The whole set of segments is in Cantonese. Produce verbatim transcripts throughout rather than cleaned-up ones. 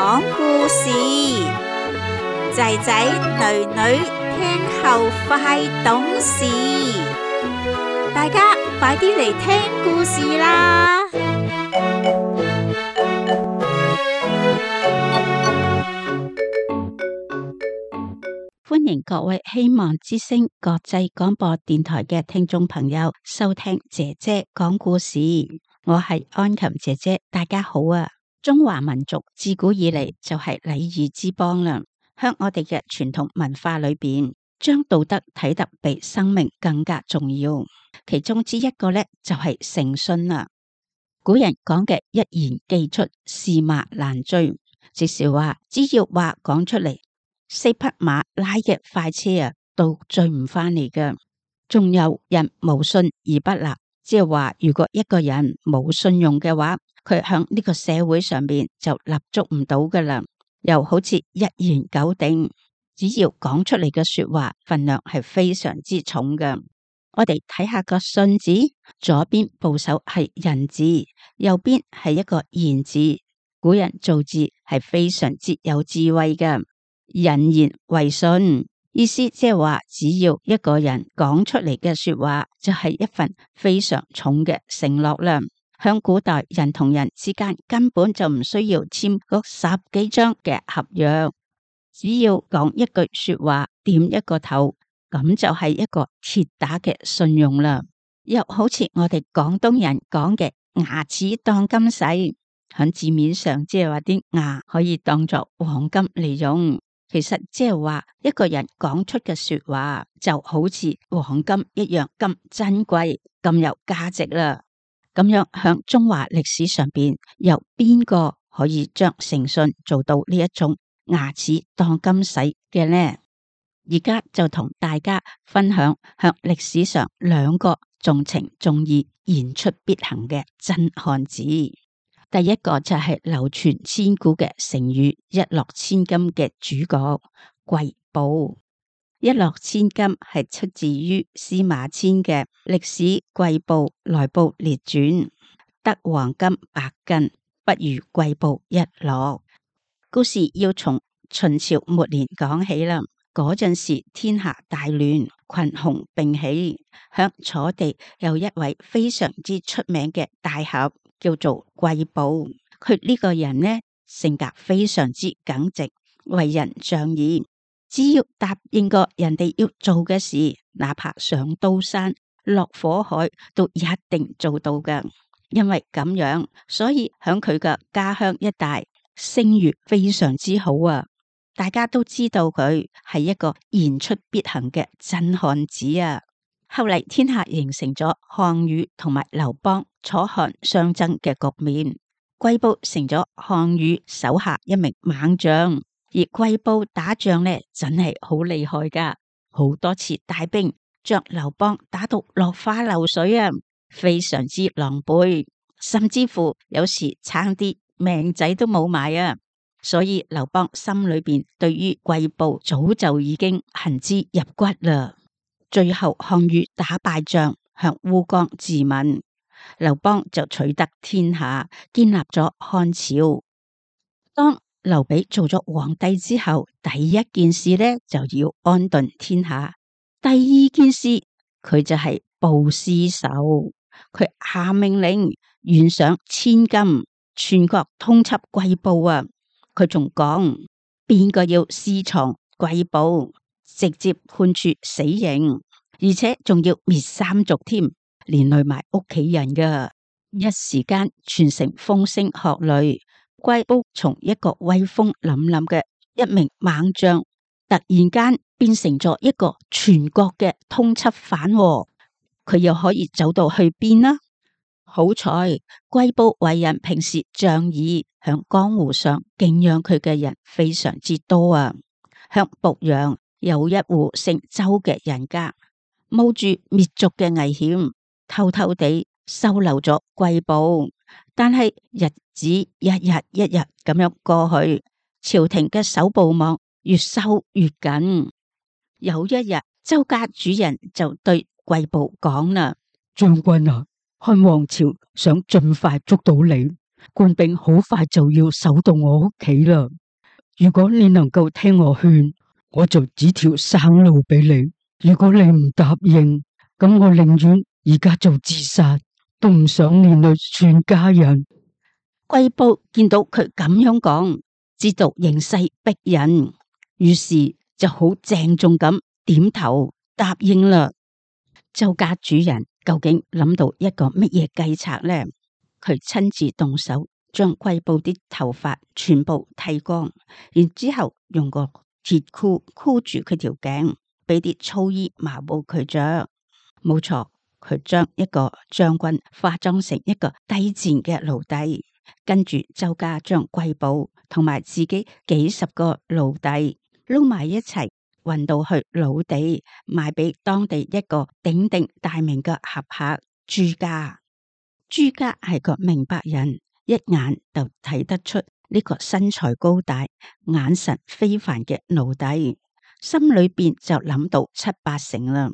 講故事，仔仔女女聽後快懂事，大家快啲嚟聽故事啦！歡迎各位希望之聲國際廣播電台嘅聽眾朋友收聽姐姐講故事，我係安琴姐姐，大家好啊！中華民族自古以嚟就係禮儀之邦啦，喺我哋嘅傳統文化裏邊，將道德睇得比生命更加重要。其中之一個咧就係誠信啦。古人講嘅一言既出，駟馬難追，即是話只要話講出嚟，四匹馬拉嘅快車啊，都追唔翻嚟㗎。仲有人無信而不立，即係話如果一個人冇信用嘅話，佢響呢個社會上邊就立足唔到噶啦。又好似一言九鼎，只要講出嚟嘅說話分量係非常之重嘅。我哋睇下個信字，左邊部首係人字，右邊係一個言字。古人造字係非常之有智慧嘅。人言為信，意思即係話，只要一個人講出嚟嘅說話，就係一份非常重嘅承諾啦。響古代，人同人之間根本就唔需要簽嗰十幾張嘅合約，只要講一句說話，點一個頭，咁就係一個鐵打嘅信用啦。又好似我哋廣東人講嘅牙齒當金使，響字面上即係話啲牙可以當作黃金嚟用。其實即係話一個人講出嘅說話就好似黃金一樣咁珍貴、咁有價值啦。咁樣響中華歷史上邊，有邊個可以將誠信做到呢一種牙齒當金使嘅呢？而家就同大家分享響歷史上兩個重情重義、言出必行嘅真漢子。第一個就係流傳千古嘅成語一諾千金嘅主角貴寶。一諾千金係出自於司馬遷嘅歷史貴寶內部列傳，得黃金百斤，不如貴寶一諾。故事要從秦朝末年講起啦。嗰陣時天下大亂，群雄並起，響楚地有一位非常之出名嘅大俠，叫做貴寶。佢呢個人呢，性格非常之耿直，為人仗義，只要答應過人哋要做嘅事，哪怕上刀山落火海都一定做到㗎。因為咁樣，所以響佢嘅家鄉一帶聲譽非常之好啊！大家都知道佢係一個言出必行嘅真漢子啊！後嚟天下形成咗項羽同埋劉邦、楚漢相爭嘅局面，貴寶成咗項羽手下一名猛將。而貴寶打仗呢，真係好厲害噶，好多次帶兵將劉邦打到落花流水啊，非常之狼狽，甚至乎有時差啲命仔都冇埋啊！所以劉邦心裏邊對於貴寶早就已經恨之入骨啦。最後項羽打敗仗，向烏江自刎，劉邦就取得天下，建立咗漢朝。當劉備做咗皇帝之後，第一件事呢就要安頓天下。第二件事，佢就係報私仇，佢下命令懸賞千金，全國通緝貴寶啊！佢仲講，邊個要私藏貴寶，直接判處死刑，而且仲要滅三族添，連累埋屋企人噶。一時間全城風聲鶴唳，貴寶從一個威風凜凜嘅一名猛將，突然間變成咗一個全國嘅通緝犯，佢又可以走到去邊呢？好彩貴寶為人平時仗義，響江湖上敬仰佢嘅人非常之多啊。響濮陽有一戶姓周嘅人家，冒住滅族嘅危險，偷偷地收留咗貴寶。但係日子一日一日咁樣過去，朝廷嘅搜捕網越收越緊。有一日，周家主人就對貴寶講啦：將軍啊，漢王朝想盡快捉到你，官兵好快就要守到我屋企啦。如果你能夠聽我勸，我就指條生路俾你；如果你唔答應，咁我寧願而家就自殺，都唔想連累全家人。貴部見到佢咁樣講，知道形勢逼人，於是就好鄭重咁點頭答應啦。周家主人究竟諗到一個乜嘢計策呢？佢親自動手將貴部啲頭髮全部剃光，然之後用個鐵箍箍住佢條頸，俾啲粗衣麻布佢着。冇錯，佢將一個將軍化妝成一個低賤嘅奴隸，跟住周家將貴部同埋自己幾十個奴隸撈埋一齊，運到去魯地賣俾當地一個鼎鼎大名嘅俠客朱家。朱家係個明白人，一眼就睇得出呢個身材高大、眼神非凡嘅奴隸，心裏邊就諗到七八成啦。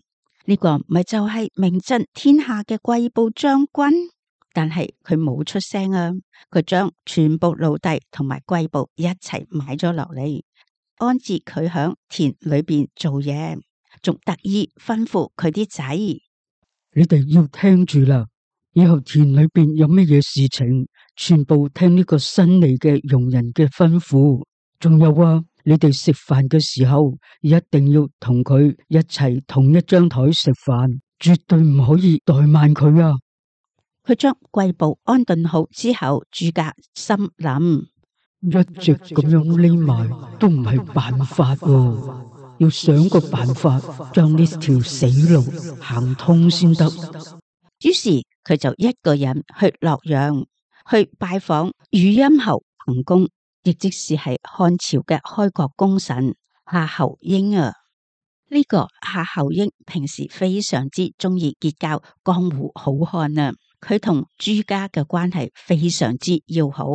呢個咪就係名震天下嘅貴部將軍？但係佢冇出聲啊，佢將全部奴隸同埋貴部一齊買咗落嚟，安置佢響田裏邊做嘢，仲特意吩咐佢啲仔：你哋要聽住啦，以後田裏邊有乜嘢事情，全部聽呢個新嚟嘅傭人嘅吩咐。仲有啊，你哋食飯嘅時候一定要同佢一齊同一張台食飯，絕對唔可以怠慢佢啊！佢將貴部安頓好之後，朱家心諗：一直咁樣匿埋都唔係辦法喎，要想個辦法將呢條死路行通先得。於是佢就一個人去洛陽去拜訪汝陰侯彭公，亦即是係漢朝嘅開國功臣夏侯嬰啊。呢、這個夏侯嬰平時非常之中意結交江湖好漢啊，佢同朱家嘅關係非常之要好。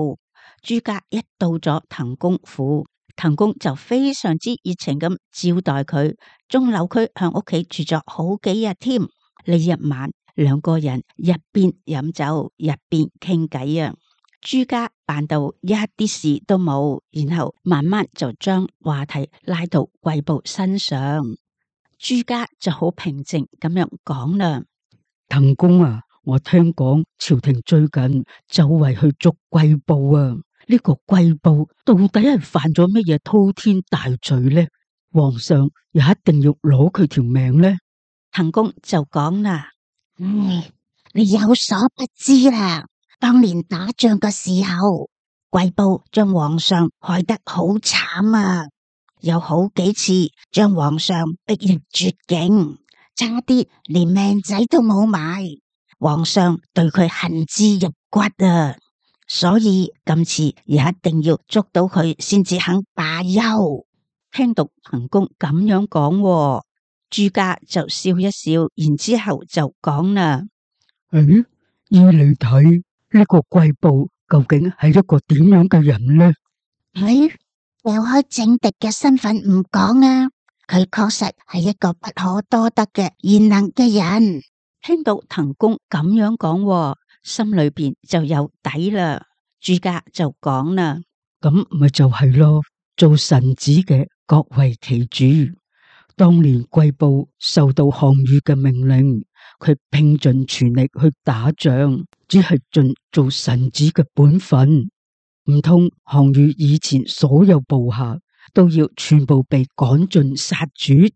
朱家一到咗滕公府，滕公就非常之熱情咁招待佢，仲留佢向屋企住咗好幾日添。呢一晚，兩個人一邊飲酒一邊傾偈啊。朱家扮到一啲事都冇，然後慢慢就將話題拉到貴部身上。朱家就好平靜咁樣講啦：滕公啊，我聽講朝廷最近周圍去捉貴部啊，呢個貴部到底係犯咗乜嘢滔天大罪呢？皇上也一定要攞佢條命呢？滕公就講啦：嗯，你有所不知啦，當年打仗嘅時候，貴部將皇上害得好慘啊，有好幾次將皇上逼入絕境，差啲連命仔都冇埋。皇上對佢恨之入骨啊，所以今次也一定要捉到佢先至肯罷休。聽到滕公咁樣講，朱家就笑一笑，然之後就講啦：誒，依你睇呢個貴部究竟係一個點樣嘅人呢？誒，掉開政敵嘅身份唔講啊，佢確實係一個不可多得嘅賢能嘅人。聽到滕公咁樣講，心裏邊就有底啦。朱家就講啦：咁咪就係咯，做臣子嘅各為其主。當年貴部受到項羽嘅命令，佢拼盡全力去打仗，只係盡做臣子嘅本分。唔通項羽以前所有部下都要全部被趕盡殺絕？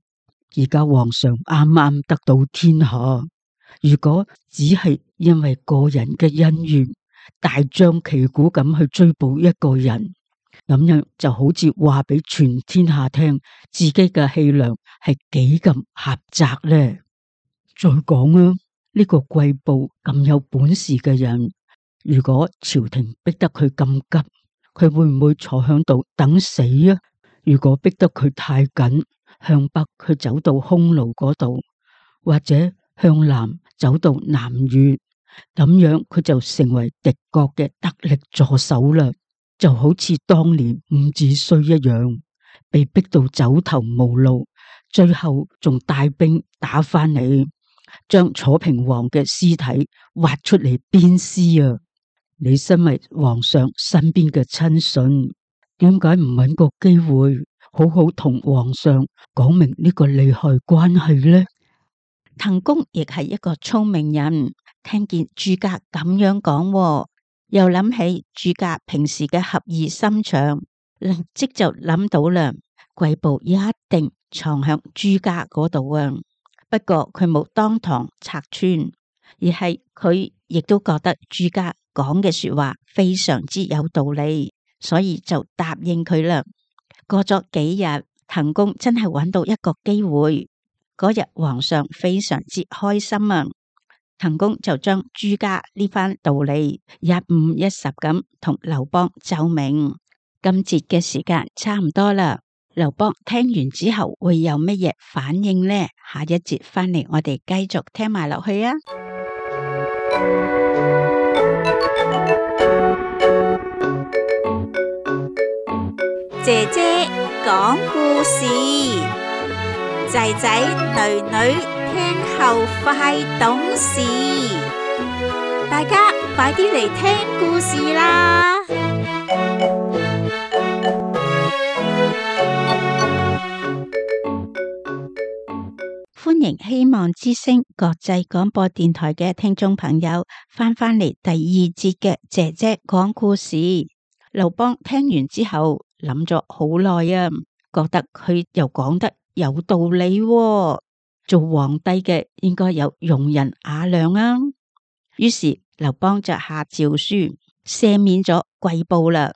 而家皇上啱啱得到天下，如果只係因為個人嘅恩怨，大張旗鼓咁去追捕一個人，咁樣就好似話俾全天下聽，自己嘅氣量係幾咁狹窄呢？再講啊，呢個貴部咁有本事嘅人，如果朝廷逼得佢咁急，佢會唔會坐響度等死啊？如果逼得佢太緊，向北佢走到匈奴嗰度，或者向南走到南越，咁樣佢就成為敵國嘅得力助手啦。就好似當年伍子胥一樣，被逼到走投無路，最後仲帶兵打翻嚟，將楚平王嘅屍體挖出嚟鞭屍啊！你身為皇上身邊嘅親信，點解唔揾個機會好好同皇上講明呢個利害關係呢？滕公亦係一個聰明人，聽見諸家咁樣講，又諗起諸家平時嘅俠義心腸，立即就諗到啦，貴部一定藏響諸家嗰度啊！不過佢冇當堂拆穿，而係佢亦都覺得諸家講嘅說話非常之有道理，所以就答應佢啦。過咗幾日，滕公真係揾到一個機會。嗰日皇上非常之開心啊，滕公就將諸家呢番道理一五一十咁同劉邦奏明。今節嘅時間差唔多啦，劉邦聽完之後會有乜嘢反應呢？下一節翻嚟我哋繼續聽埋落去啊！姐姐講故事，仔仔女女聽後快懂事，大家快啲嚟聽故事啦！歡迎希望之聲國際廣播電台嘅聽眾朋友翻返嚟第二節嘅姐姐講故事。劉邦聽完之後諗咗好耐啊，覺得佢又講得有道理喎，做皇帝嘅應該有容人雅量啊。於是劉邦就下詔書赦免咗貴部啦。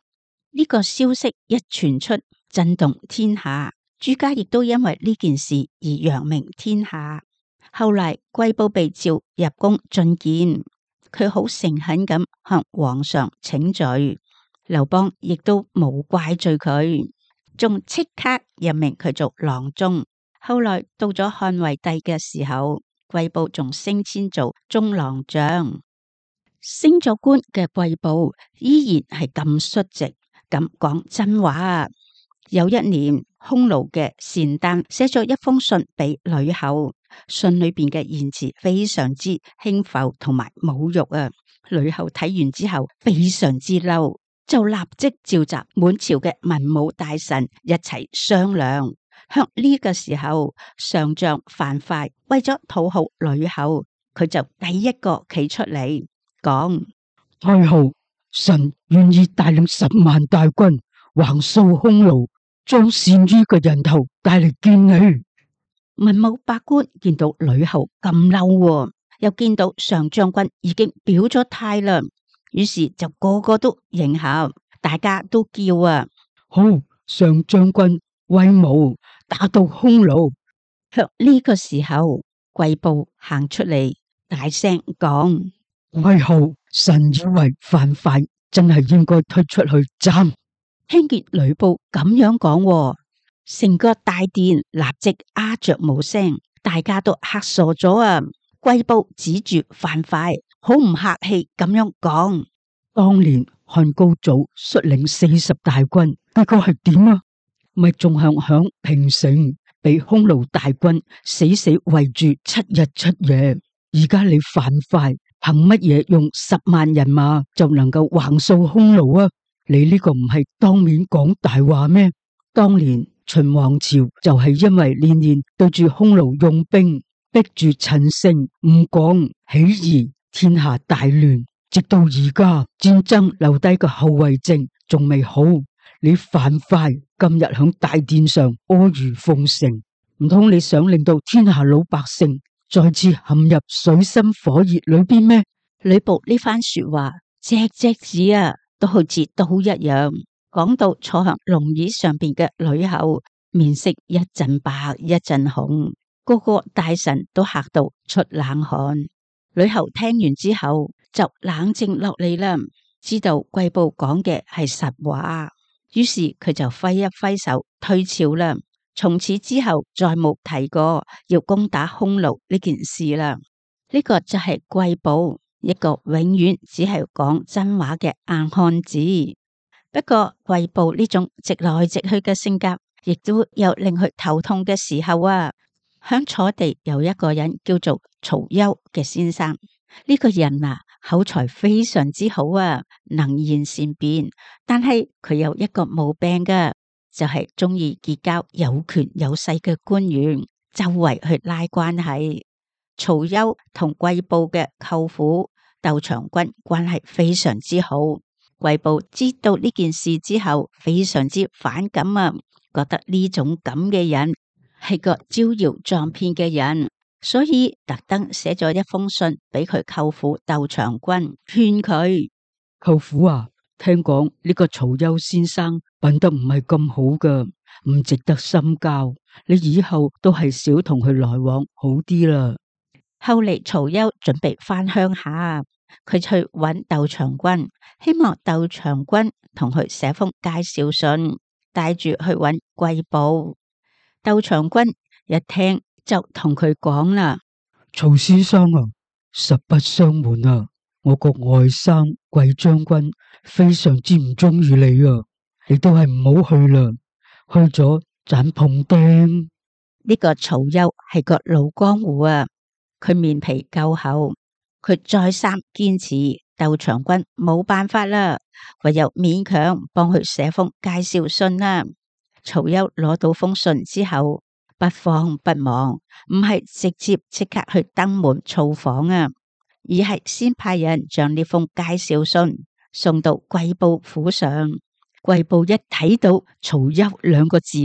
呢個消息一傳出，震動天下。諸家亦都因為呢件事而揚名天下。後來貴部被召入宮進見，佢好誠懇咁向皇上請罪。劉邦亦都冇怪罪佢，仲即刻任命佢做郎中。後來到咗漢惠帝嘅時候，貴部仲升遷做中郎將。升咗官嘅貴部依然係咁率直，咁講真話。有一年，匈奴嘅單丹寫咗一封信俾呂后，信裏邊嘅言辭非常之輕浮同埋侮辱啊！呂后睇完之後非常之嬲，就立即召集滿朝嘅文武大臣一齊商量。向呢個時候，上將樊噲為咗討好呂后，佢就第一個企出嚟講：太后，臣願意帶領十萬大軍橫掃匈奴，將單于嘅人頭帶嚟見你。文武百官見到呂后咁嬲，又見到上將軍已經表咗態啦，於是就個個都迎合，大家都叫啊！好，上將軍威武，打到匈奴。向呢個時候，貴部行出嚟，大聲講：太后，臣以為樊噲真係應該推出去斬。聽見呂布咁樣講，成個大殿立即鴉雀無聲，大家都嚇傻咗啊！貴部指住樊噲，好唔客氣咁樣講：當年漢高祖率領四十大軍，結果係點啊？咪仲向響平城被匈奴大軍死死圍住七日七夜。而家你樊噲憑乜嘢用十萬人馬就能夠橫掃匈奴啊？你呢個唔係當面講大話咩？當年秦王朝就係因為年年對住匈奴用兵，逼住陳勝、吳廣起義，天下大亂，直到而家戰爭留低個後遺症仲未好。你樊噲今日響大殿上阿諛奉承，唔通你想令到天下老百姓再次陷入水深火熱裏邊咩？呂布呢番說話，隻隻字啊，都好似刀一樣。講到坐向龍椅上邊嘅呂后，面色一陣白一陣紅，個個大臣都嚇到出冷汗。呂后聽完之後就冷靜落嚟啦，知道貴部講嘅係實話，於是佢就揮一揮手退朝啦。從此之後再冇提過要攻打匈奴呢件事啦。呢個就係貴部，一個永遠只係講真話嘅硬漢子。不過貴部呢種直來直去嘅性格，亦都有令佢頭痛嘅時候啊。響楚地有一個人叫做曹休嘅先生，呢、這個人啊口才非常之好啊，能言善辯。但係佢有一個毛病㗎，就係中意結交有權有勢嘅官員，周圍去拉關係。曹休同季布嘅舅父竇長君關係非常之好。季布知道呢件事之後，非常之反感啊，覺得呢種咁嘅人係個招搖撞騙嘅人，所以特登寫咗一封信俾佢舅父竇長君，勸佢：舅父啊，聽講呢個曹休先生品德唔係咁好噶，唔值得深交，你以後都係少同佢來往好啲啦。後嚟曹休準備返鄉下，佢去揾竇長君，希望竇長君同佢寫封介紹信，帶住去揾季布。竇長君一聽就同佢講啦：曹先生啊，實不相瞞啊，我個外甥季將軍非常之唔中意你啊，你都係唔好去啦，去咗盞碰釘。呢個曹休係個老江湖啊，佢面皮夠厚，佢再三堅持，竇長君冇辦法啦，唯有勉強幫佢寫封介紹信啦。曹休攞到封信之後，不慌不忙，唔係直接即刻去登門造訪啊，而係先派人將呢封介紹信送到季布府上。季布一睇到曹休兩個字，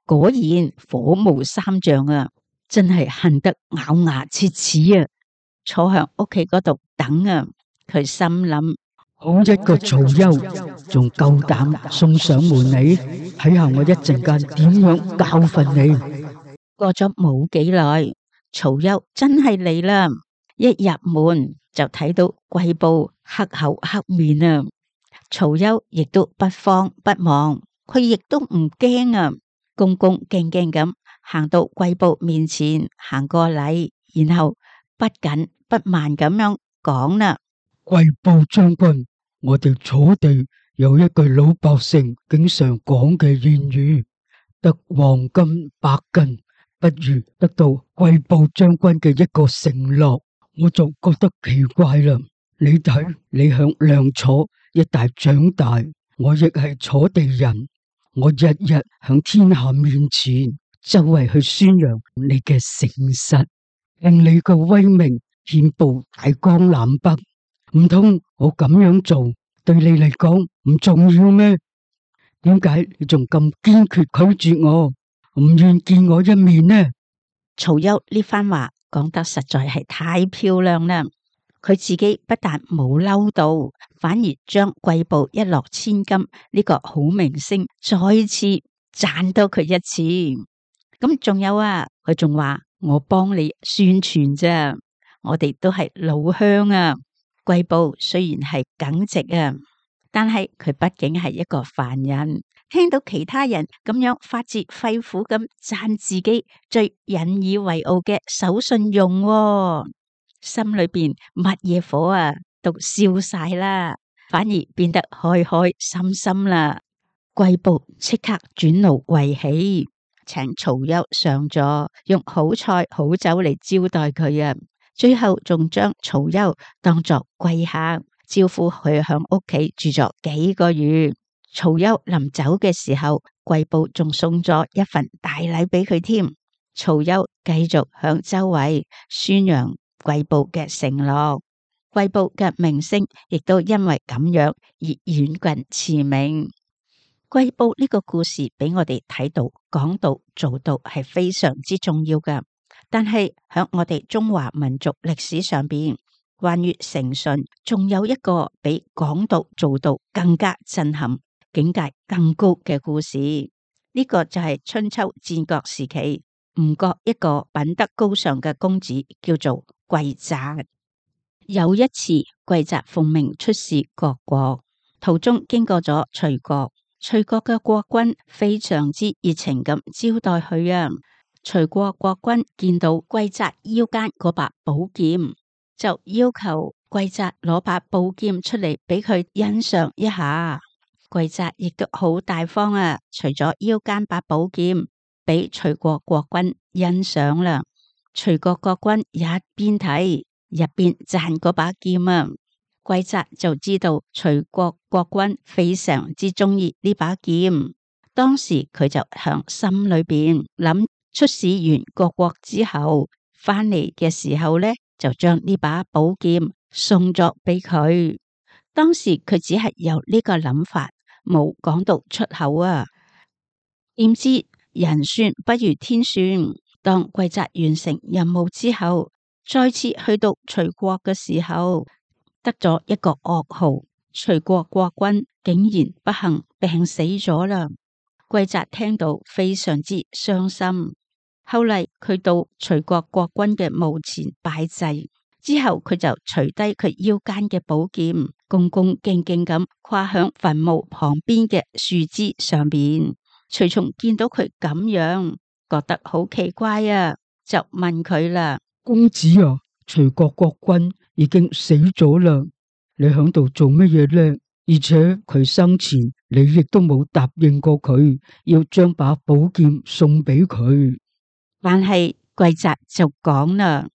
果然火冒三丈啊！真係恨得咬牙切齒啊！坐向屋企嗰度等啊！佢心諗：好一個曹休，仲夠膽送上門嚟，睇下我一陣間點樣教訓你。過咗冇幾耐，曹休真係嚟啦！一入門就睇到季布黑口黑面啊！曹休亦都不慌不忙，佢亦都唔驚啊，恭恭敬敬咁行到季布面前，行過禮，然後不緊不慢咁樣講啦：季布將軍，我哋楚地有一句老百姓經常講嘅諺語，得黃金百斤，不如得到季布將軍嘅一個承諾。我就覺得奇怪啦，你睇你響梁楚一帶長大，我亦係楚地人，我日日響天下面前周圍去宣揚你嘅誠實，令你嘅威名遍布大江南北。唔通我咁樣做對你嚟講唔重要咩？點解你仲咁堅決拒絕我，唔願見我一面呢？曹休呢番話講得實在係太漂亮啦！佢自己不但冇嬲到，反而將季布一諾千金呢個好明星再次讚多佢一次。咁仲有啊，佢仲話我幫你宣傳啫，我哋都係老鄉啊。季布雖然係耿直啊，但係佢畢竟係一個凡人，聽到其他人咁樣發自肺腑咁讚自己最引以為傲嘅守信用，啊，心裏邊乜嘢火啊都燒晒啦，反而變得開開心心啦。季布即刻轉怒為喜，請曹休上座，用好菜好酒嚟招待佢啊！最後仲將曹休當作貴客，招呼佢響屋企住咗幾個月。曹休臨走嘅時候，季布仲送咗一份大禮俾佢添。曹休繼續向周圍宣揚季布嘅承諾，季布嘅名聲亦都因為咁樣而遠近馳名。季布呢個故事俾我哋睇到，講到做到係非常之重要㗎。但係喺我哋中華民族歷史上邊，關於誠信，仲有一個比講到做到更加震撼、境界更高嘅故事。呢、這個就係春秋戰國時期吳國一個品德高尚嘅公子，叫做季札。有一次，季札奉命出使各國，途中經過咗徐國，徐國嘅國君非常之熱情咁招待佢啊。徐國國君見到季札腰間嗰把寶劍，就要求季札攞把寶劍出嚟俾佢欣賞一下。季札亦都好大方啊，除咗腰間把寶劍俾徐國國君欣賞啦。徐國國君一邊睇一邊讚嗰把劍啊，貴澤就知道徐國國君非常之中意呢把劍，當時佢就響心裏邊諗，出使完各國之後，翻嚟嘅時候呢，就將呢把寶劍送咗俾佢。當時佢只係有呢個諗法，冇講到出口啊。點知人算不如天算，當貴澤完成任務之後，再次去到徐國嘅時候，得咗一個噩耗，徐國國君竟然不幸病死咗啦。貴澤聽到非常之傷心。後嚟佢到徐國國君嘅墓前拜祭之後，佢就除低佢腰間嘅寶劍，恭恭敬敬咁跨響墳墓旁邊嘅樹枝上邊。徐松見到佢咁樣，覺得好奇怪啊，就問佢啦：公子啊，徐國國君已經死咗啦，你響度做乜嘢呢？而且佢生前你亦都冇答應過佢要將把寶劍送俾佢。但係貴澤就講啦：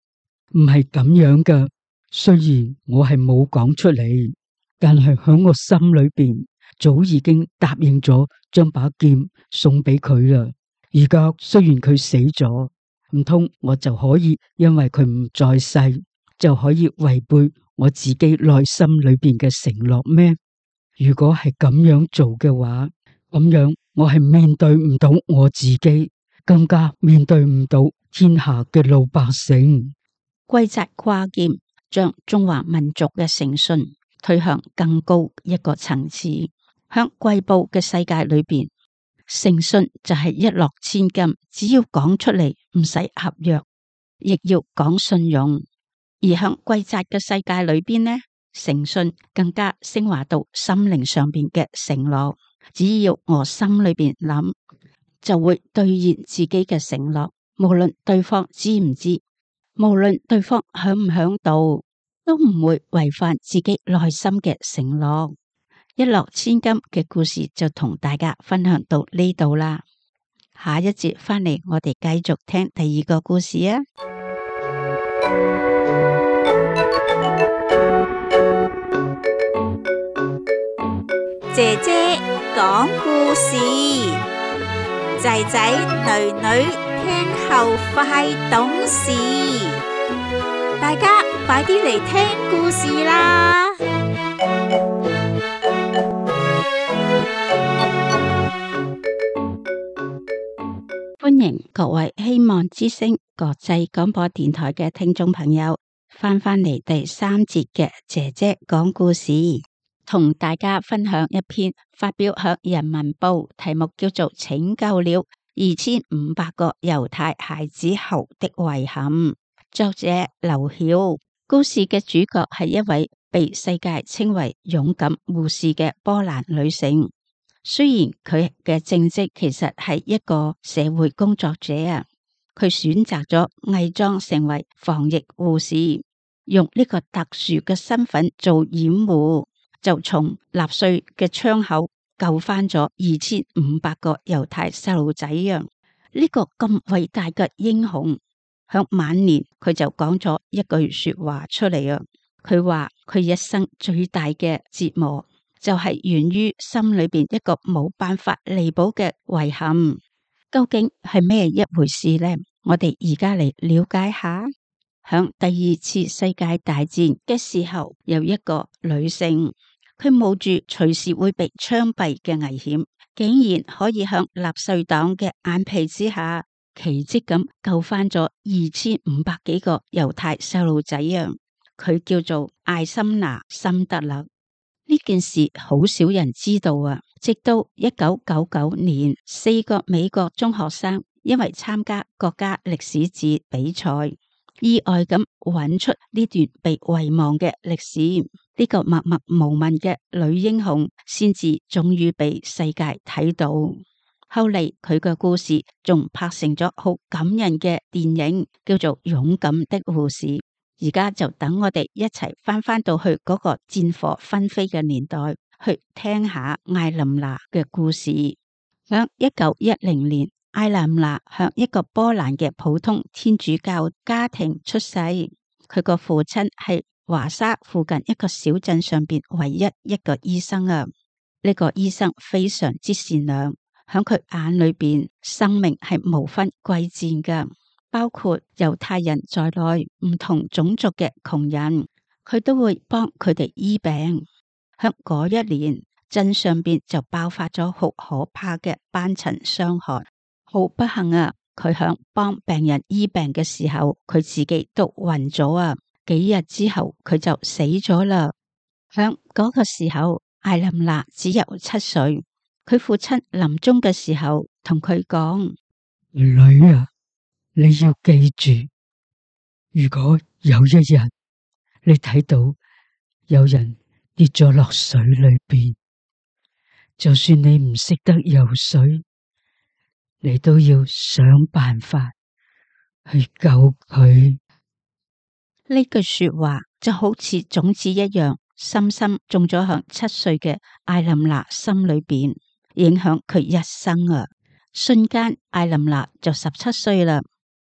唔係咁樣噶，雖然我係冇講出嚟，但係響我心裏邊早已經答應咗將把劍送俾佢啦。而家雖然佢死咗，唔通我就可以因為佢唔在世就可以違背我自己內心裏邊嘅承諾咩？如果係咁樣做嘅話，咁樣我係面對唔到我自己，更加面對唔到天下嘅老百姓。貴澤跨劍，將中華民族嘅誠信推向更高一個層次。響貴部嘅世界裏邊，誠信就係一諾千金，只要講出嚟唔使合約，亦要講信用。而響貴澤嘅世界裏邊呢，誠信更加升華到心靈上邊嘅承諾。只要我心裏邊諗，就會兌現自己嘅承諾，無論對方知唔知，無論對方響唔響度，都唔會違反自己內心嘅承諾。一諾千金嘅故事就同大家分享到呢度啦。下一節翻嚟，我哋繼續聽第二個故事啊！姐姐講故事，仔仔女女聽後快懂事。大家快啲嚟聽故事啦！歡迎各位希望之聲國際廣播電台嘅聽眾朋友翻返嚟第三節嘅姐姐講故事，同大家分享一篇發表響人民報，題目叫做《拯救了二千五百個猶太孩子後的遺憾》，作者劉曉。故事嘅主角係一位被世界稱為勇敢護士嘅波蘭女性。雖然佢嘅正職其實係一個社會工作者啊，佢選擇咗偽裝成為防疫護士，用呢個特殊嘅身份做掩護，就從納粹嘅槍口救翻咗二千五百個猶太細路仔啊！呢個咁偉大嘅英雄，響晚年佢就講咗一句說話出嚟啊！佢話佢一生最大嘅折磨，就係源於心裏邊一個冇辦法彌補嘅遺憾。究竟係咩一回事呢？我哋而家嚟了解下。響第二次世界大戰嘅時候，有一個女性，佢冒住隨時會被槍斃嘅危險，竟然可以向納粹黨嘅眼皮之下，奇蹟咁救翻咗二千五百幾個猶太細路仔啊！佢叫做艾森娜森德勒。呢件事好少人知道啊！直到一九九九年，四個美國中學生因為參加國家歷史節比賽，意外咁揾出呢段被遺忘嘅歷史。呢個默默無聞嘅女英雄，先至終於被世界睇到。後嚟佢嘅故事仲拍成咗好感人嘅電影，叫做《勇敢的護士》。而家就等我哋一齊翻返到去嗰個戰火紛飛嘅年代，去聽下艾琳娜嘅故事。響一九一零年，艾琳娜向一個波蘭嘅普通天主教家庭出世，佢個父親係華沙附近一個小鎮上邊唯一一個醫生啊！呢個醫生非常之善良，響佢眼裏邊，生命係無分貴賤噶，包括猶太人在內，唔同種族嘅窮人，佢都會幫佢哋醫病。響嗰一年，鎮上邊就爆發咗好可怕嘅斑疹傷害，好不幸啊！佢響幫病人醫病嘅時候，佢自己都暈咗啊！幾日之後，佢就死咗啦。響嗰個時候，艾琳娜只有七歲。佢父親臨終嘅時候同佢講：女啊，你要記住，如果有一日你睇到有人跌咗落水裏邊，就算你唔識得游水，你都要想辦法去救佢。呢句說話就好似種子一樣，深深種咗響七歲嘅艾琳娜心裏邊，影響佢一生啊！瞬間，艾琳娜就十七歲啦。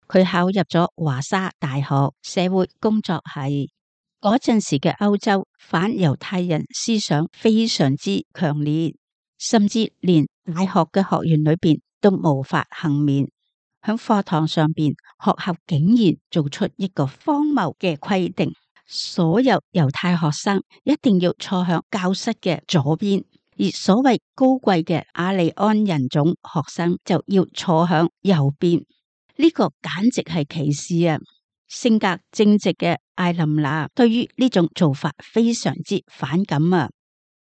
佢考入咗華沙大學社會工作系。嗰陣時嘅歐洲反猶太人思想非常之強烈，甚至連大學嘅學院裏邊都無法幸免。響課堂上邊，學校竟然做出一個荒謬嘅規定，所有猶太學生一定要坐響教室嘅左邊，而所謂高貴嘅雅利安人種學生就要坐響右邊。呢個簡直係歧視啊！性格正直嘅艾琳娜對於呢種做法非常之反感啊，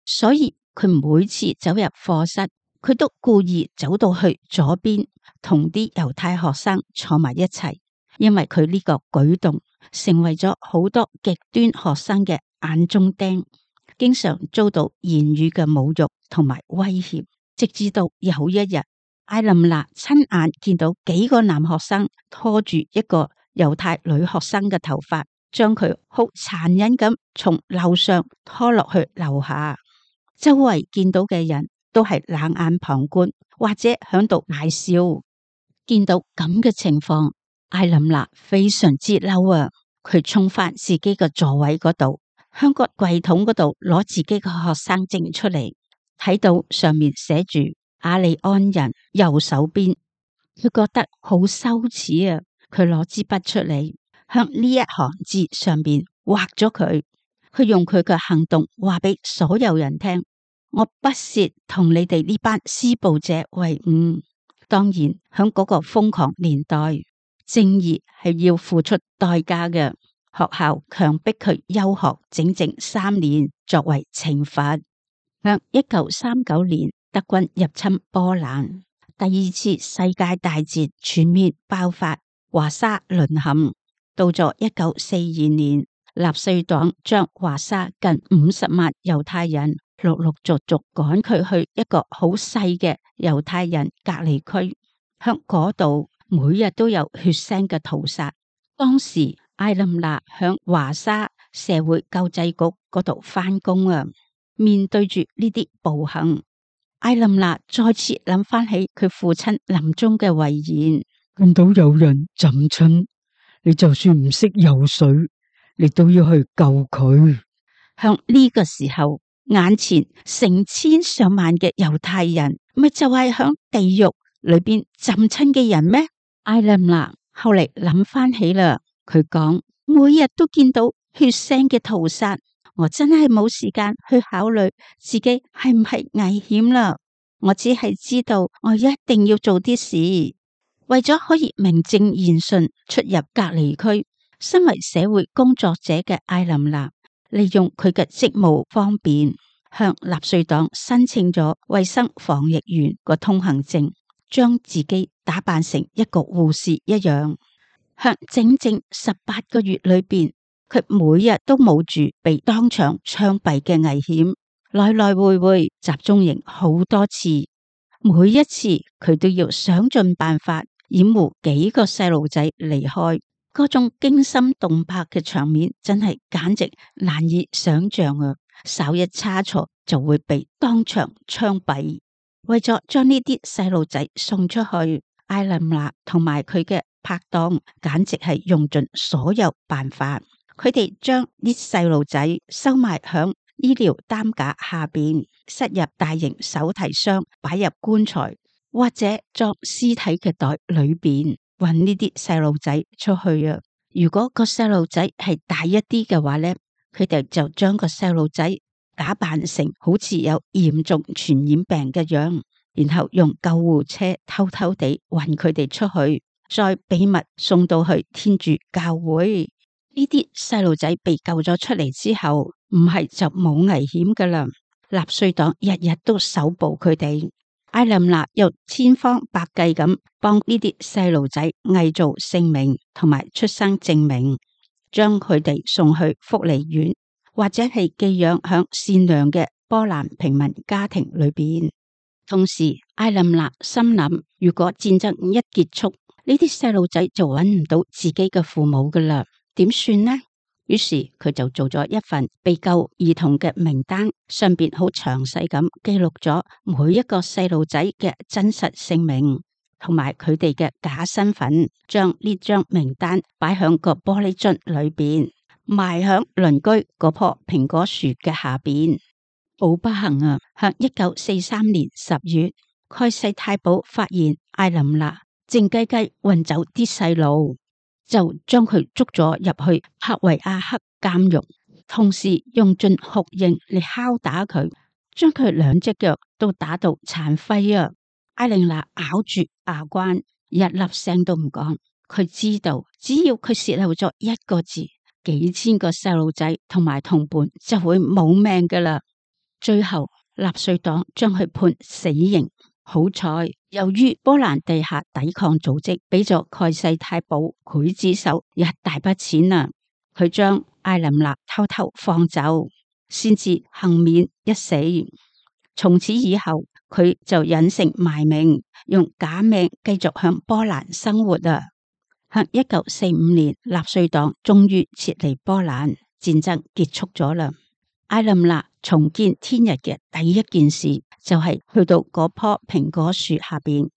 所以佢每次走入課室，佢都故意走到去左邊，同啲猶太學生坐埋一齊，因為佢呢個舉動成為咗好多極端學生嘅眼中釘，經常遭到言語嘅侮辱同埋威脅。直至到有一日，艾琳娜親眼見到幾個男學生拖住一個猶太女學生嘅頭髮，將佢好殘忍咁從樓上拖落去樓下。周圍見到嘅人都係冷眼旁觀，或者響度大笑。見到咁嘅情況，艾琳娜非常之嬲啊！佢衝返自己嘅座位嗰度，向個櫃桶嗰度攞自己嘅學生證出嚟，睇到上面寫住雅利安人右手邊，佢覺得好羞恥啊！佢攞支筆出嚟，向呢一行字上邊畫咗佢。佢用佢嘅行動話俾所有人聽：我不屑同你哋呢班施暴者為伍。當然，響嗰個瘋狂年代，正義係要付出代價嘅。學校強迫佢休學整整三年，作為懲罰。響一九三九年，德軍入侵波蘭，第二次世界大戰全面爆發。華沙淪陷，到咗一九四二年，納粹黨將華沙近五十萬猶太人陸陸續續趕佢去一個好細嘅猶太人隔離區，向嗰度每日都有血腥嘅屠殺。當時艾琳娜響華沙社會救濟局嗰度返工啊，面對住呢啲暴行，艾琳娜再次諗翻起佢父親臨終嘅遺言。見到有人浸親，你就算唔識游水，你都要去救佢。向呢個時候，眼前成千上萬嘅猶太人，咪就係響地獄裏邊浸親嘅人咩？艾琳娜後嚟諗翻起啦，佢講每日都見到血腥嘅屠殺，我真係冇時間去考慮自己係唔係危險啦。我只係知道我一定要做啲事。為咗可以名正言順出入隔離區，身為社會工作者嘅艾琳娜，利用佢嘅職務方便，向納粹黨申請咗衛生防疫員個通行證，將自己打扮成一個護士一樣。向整整十八個月裏邊，佢每日都冒住被當場槍斃嘅危險，來來回回集中營好多次，每一次佢都要想盡辦法掩護幾個細路仔離開。嗰種驚心動魄嘅場面真係簡直難以想象啊！稍一差錯就會被當場槍斃。為咗將呢啲細路仔送出去，艾琳娜同埋佢嘅拍檔簡直係用盡所有辦法。佢哋將啲細路仔收埋響醫療擔架下邊，塞入大型手提箱，擺入棺材或者裝屍體嘅袋裏邊，運呢啲細路仔出去啊！如果個細路仔係大一啲嘅話呢，佢哋就將個細路仔假扮成好似有嚴重傳染病嘅樣，然後用救護車偷偷地運佢哋出去，再秘密送到去天主教會。呢啲細路仔被救咗出嚟之後，唔係就冇危險噶啦。納粹黨日日都搜捕佢哋，艾琳娜又千方百計咁幫呢啲細路仔偽造姓名同埋出生證明，將佢哋送去福利院或者係寄養響善良嘅波蘭平民家庭裏邊。同時，艾琳娜心諗，如果戰爭一結束，呢啲細路仔就揾唔到自己嘅父母噶啦。點算呢？於是佢就做咗一份被救兒童嘅名單，上邊好詳細咁記錄咗每一個細路仔嘅真實姓名同埋佢哋嘅假身份，將呢張名單擺響個玻璃樽裏邊，埋響鄰居嗰棵蘋果樹嘅下邊。好不幸啊！喺一九四三年十月，蓋世太保發現艾琳娜靜雞雞運走啲細路，就將佢捉咗入去克維亞克監獄，同時用盡酷刑嚟敲打佢，將佢兩隻腳都打到殘廢啊！艾琳娜咬住牙關，一粒聲都唔講。佢知道只要佢洩漏咗一個字，幾千個細路仔同埋同伴就會冇命噶啦。最後納粹黨將佢判死刑。好彩，由於波蘭地下抵抗組織俾咗蓋世太保劊子手一大筆錢啊，佢將艾琳娜偷偷放走，先至幸免一死。從此以後，佢就隱姓埋名，用假名繼續向波蘭生活啊。喺一九四五年，納粹黨終於撤離波蘭，戰爭結束咗啦。艾琳娜重見天日嘅第一件事就係去到嗰棵蘋果樹下邊，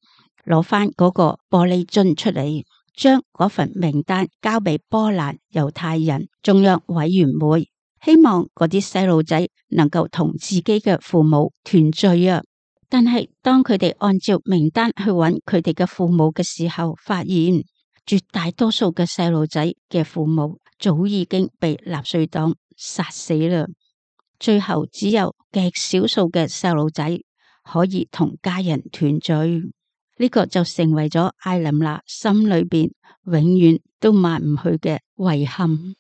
攞翻嗰個玻璃樽出嚟，將嗰份名單交俾波蘭猶太人中央委員會，希望嗰啲細路仔能夠同自己嘅父母團聚啊！但係當佢哋按照名單去揾佢哋嘅父母嘅時候，發現絕大多數嘅細路仔嘅父母早已經被納粹黨殺死啦。最後只有極少數嘅細路仔可以同家人團聚，呢、這個就成為咗艾琳娜心裏邊永遠都抹唔去嘅遺憾。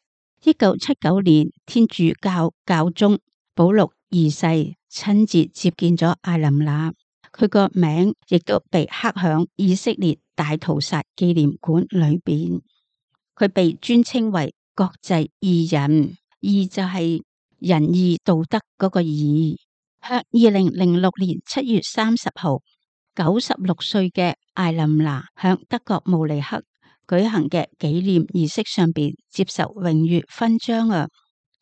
一九七九年，天主教教宗保祿二世親自接見咗艾琳娜，佢個名亦都被刻響以色列大屠殺紀念館裏邊。佢被尊稱為國際義人，義就係仁義道德嗰個義。喺二零零六年七月三十號，九十六歲嘅艾琳娜響德國慕尼黑舉行嘅紀念儀式上邊接受榮譽勳章啊！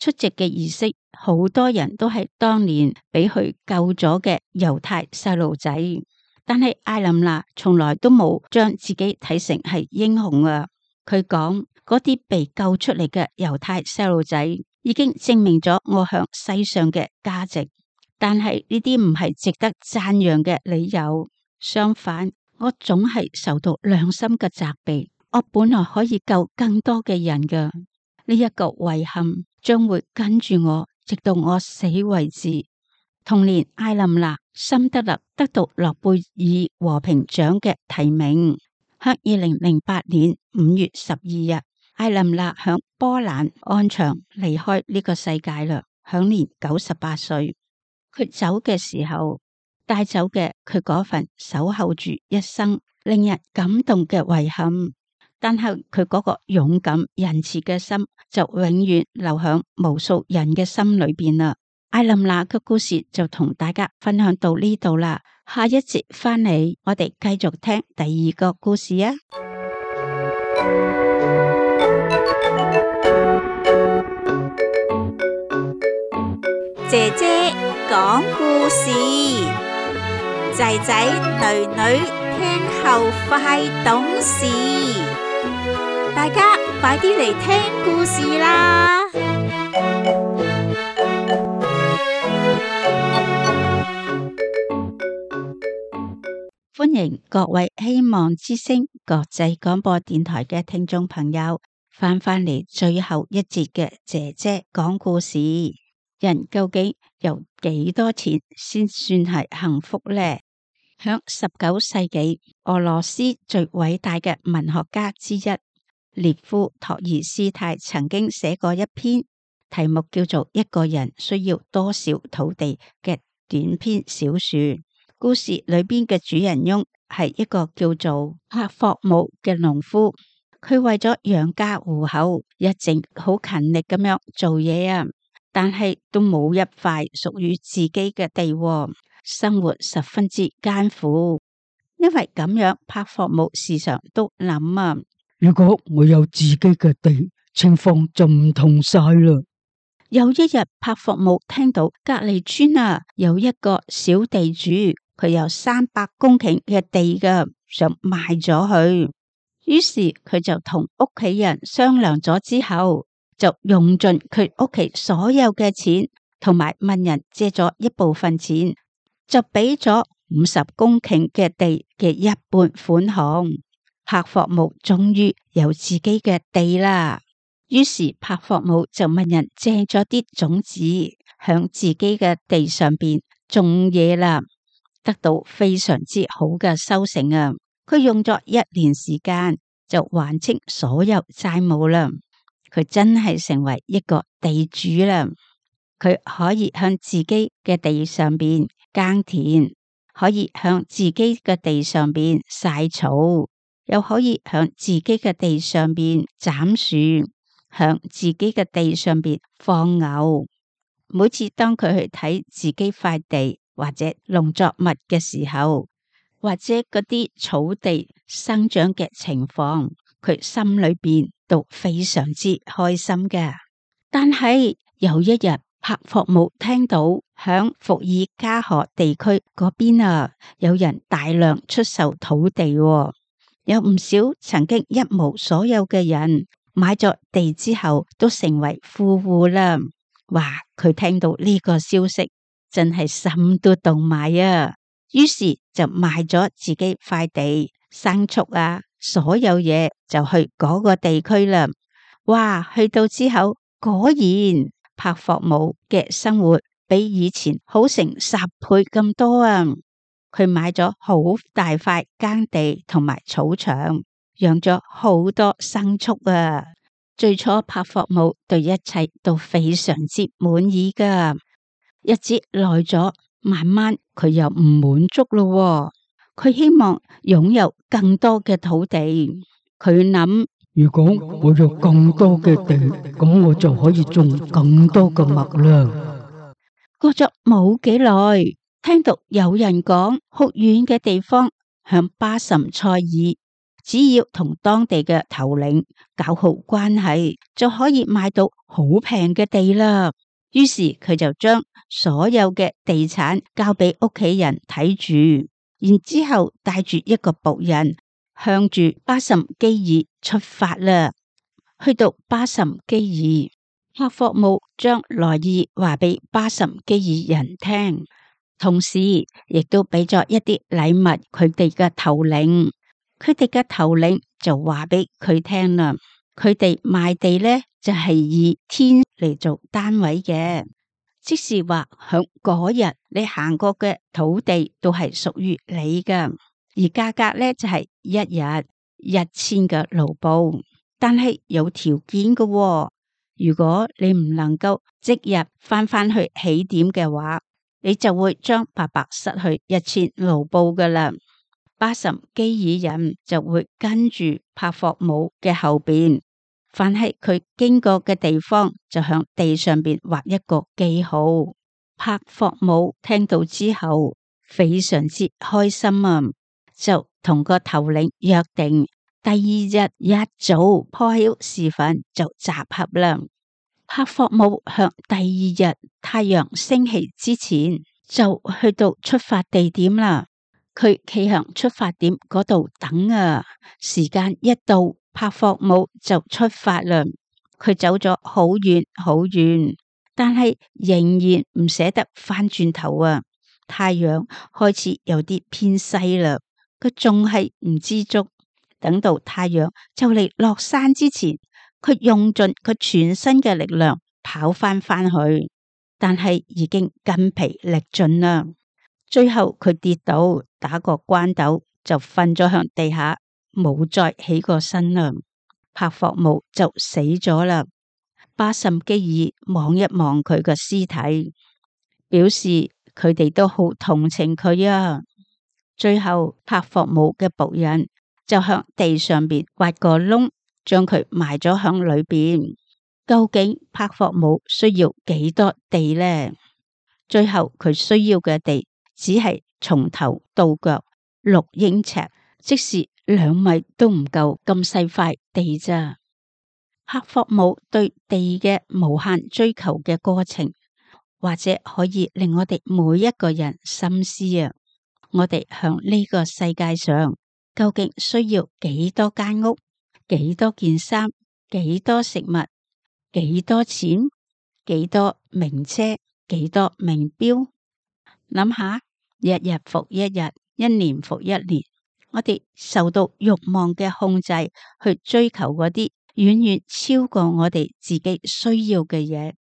出席嘅儀式，好多人都係當年俾佢救咗嘅猶太細路仔，但係艾琳娜從來都冇將自己睇成係英雄啊！佢講，嗰啲被救出嚟嘅猶太細路仔已經證明咗我響世上嘅價值，但係呢啲唔係值得讚揚嘅理由。相反，我總係受到良心嘅責備，我本來可以救更多嘅人㗎。呢一個遺憾將會跟住我直到我死為止。同年，艾琳娜辛德勒得到諾貝爾和平獎嘅提名。喺二零零八年五月十二日，艾琳娜響波蘭安詳離開呢個世界啦，享年九十八歲。佢走嘅時候帶走嘅佢嗰份守候住一生令人感動嘅遺憾，但係佢嗰個勇敢仁慈嘅心就永遠留響無數人嘅心裏邊啦。艾琳娜嘅故事就同大家分享到呢度啦，下一節翻嚟我哋繼續聽第二個故事啊！姐姐講故事，仔仔女女聽後快懂事，大家快啲嚟聽故事啦！歡迎各位希望之聲國際廣播電台嘅聽眾朋友翻返嚟最後一節嘅姐姐講故事。人究竟有幾多錢先算係幸福呢？響十九世紀，俄羅斯最偉大嘅文學家之一列夫托爾斯泰曾經寫過一篇題目叫做《一個人需要多少土地》嘅短篇小說。故事裏邊嘅主人翁係一個叫做帕霍姆嘅農夫，佢為咗養家糊口，一直好勤力咁樣做嘢啊，但係都冇一塊屬於自己嘅地，生活十分之艱苦。因為咁樣，帕霍姆時常都諗啊，如果我有自己嘅地，情況就唔同晒啦。有一日，帕霍姆聽到隔籬村啊有一個小地主，佢有三百公頃嘅地噶，想賣咗佢。於是佢就同屋企人商量咗之後，就用盡佢屋企所有嘅錢，同埋問人借咗一部分錢，就俾咗五十公頃嘅地嘅一半款項。帕霍姆終於有自己嘅地啦。於是帕霍姆就問人借咗啲種子，響自己嘅地上邊種嘢啦，得到非常之好嘅收成啊！佢用咗一年時間就還清所有債務啦。佢真係成為一個地主啦。佢可以向自己嘅地上邊耕田，可以向自己嘅地上邊曬草，又可以向自己嘅地上邊斬樹，向自己嘅地上邊放牛。每次當佢去睇自己塊地或者農作物嘅時候，或者嗰啲草地生長嘅情況，佢心裏邊都非常之開心嘅。但係有一日，帕霍姆聽到響伏爾加河地區嗰邊啊，有人大量出售土地，哦，有唔少曾經一無所有嘅人買咗地之後都成為富戶啦。哇！佢聽到呢個消息，真係心都動埋啊！於是就賣咗自己塊地、牲畜啊，所有嘢就去嗰個地區啦。哇！去到之後，果然帕霍姆嘅生活比以前好成十倍咁多啊！佢買咗好大塊耕地同埋草場，養咗好多牲畜啊！最初帕霍姆對一切都非常之滿意噶，日子耐咗，慢慢佢又唔滿足咯。佢希望擁有更多嘅土地。佢諗，如果我有更多嘅地，咁我就可以種更多嘅麥啦。過咗冇幾耐，聽到有人講，好遠嘅地方向巴什塞爾，只要同當地嘅頭領搞好關係，就可以買到好平嘅地啦。於是佢就將所有嘅地產交俾屋企人睇住，然之後帶住一個僕人向住巴什基爾出發啦。去到巴什基爾，帕霍姆將來意話俾巴什基爾人聽，同時亦都俾咗一啲禮物佢哋嘅頭領。佢哋嘅頭領就話俾佢聽啦，佢哋賣地呢就係以天嚟做單位嘅，即是話響嗰日你行過嘅土地都係屬於你噶，而價格呢就係一日一千嘅盧布，但係有條件嘅喎。如果你唔能夠即日翻返去起點嘅話，你就會將白白失去一千盧布噶啦。巴什基爾人就會跟住帕霍姆嘅後邊，凡係佢經過嘅地方，就向地上邊畫一個記號。帕霍姆聽到之後非常之開心啊，就同個頭領約定，第二日一早破曉時分就集合啦。帕霍姆向第二日太陽升起之前就去到出發地點啦。佢企向出發點嗰度等啊，時間一到，帕霍姆就出發啦。佢走咗好遠好遠，但係仍然唔捨得翻轉頭啊！太陽開始有啲偏西啦，佢仲係唔知足。等到太陽就嚟落山之前，佢用盡佢全身嘅力量跑翻返去，但係已經筋疲力盡啦。最後佢跌倒，打個關斗就瞓咗向地下，冇再起過身啦。帕霍姆就死咗啦。巴什基爾望一望佢個屍體，表示佢哋都好同情佢啊。最後帕霍姆嘅僕人就向地上邊挖個窿，將佢埋咗響裏邊。究竟帕霍姆需要幾多地呢？最後佢需要嘅地只係從頭到腳六英尺，即是兩米都唔夠咁細塊地咋。帕霍姆對地嘅無限追求嘅過程，或者可以令我哋每一個人深思啊！我哋向呢個世界上究竟需要幾多間屋、幾多件衫、幾多食物、幾多錢、幾多名車、幾多名錶？諗下，日日復一日，一年復一年，我哋受到慾望嘅控制，去追求嗰啲遠遠超過我哋自己需要嘅嘢，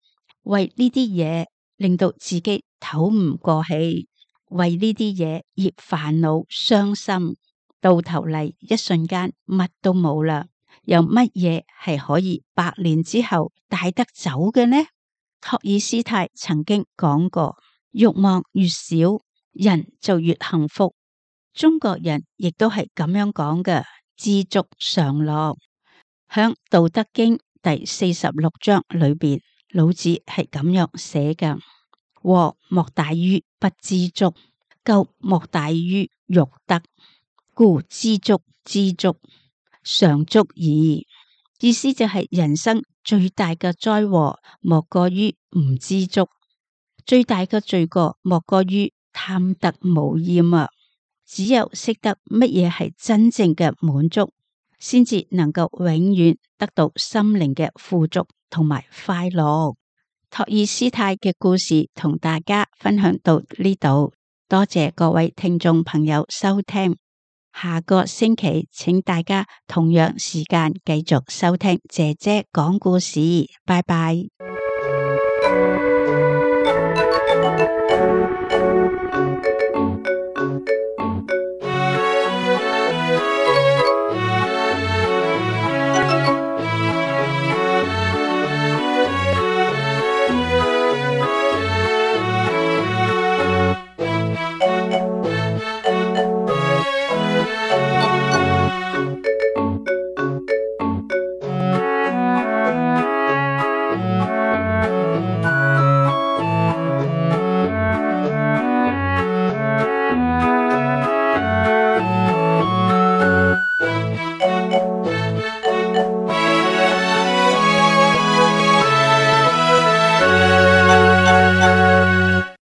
為呢啲嘢令到自己唞唔過氣，為呢啲嘢而煩惱傷心，到頭嚟一瞬間乜都冇啦。有乜嘢係可以百年之後帶得走嘅呢？托爾斯泰曾經講過，慾望越少，人就越幸福。中國人亦都係咁樣講嘅，知足常樂。響《道德經》第四十六章裏邊，老子係咁樣寫嘅：禍莫大於不知足，咎莫大於欲得，故知足知足，常足矣。意思就係人生最大嘅災禍莫過於唔知足，最大嘅罪過莫過於貪得無厭啊！只有識得乜嘢係真正嘅滿足，先至能夠永遠得到心靈嘅富足同埋快樂。托爾斯泰嘅故事同大家分享到呢度，多謝各位聽眾朋友收聽。下個星期請大家同樣時間繼續收聽姐姐講故事，拜拜。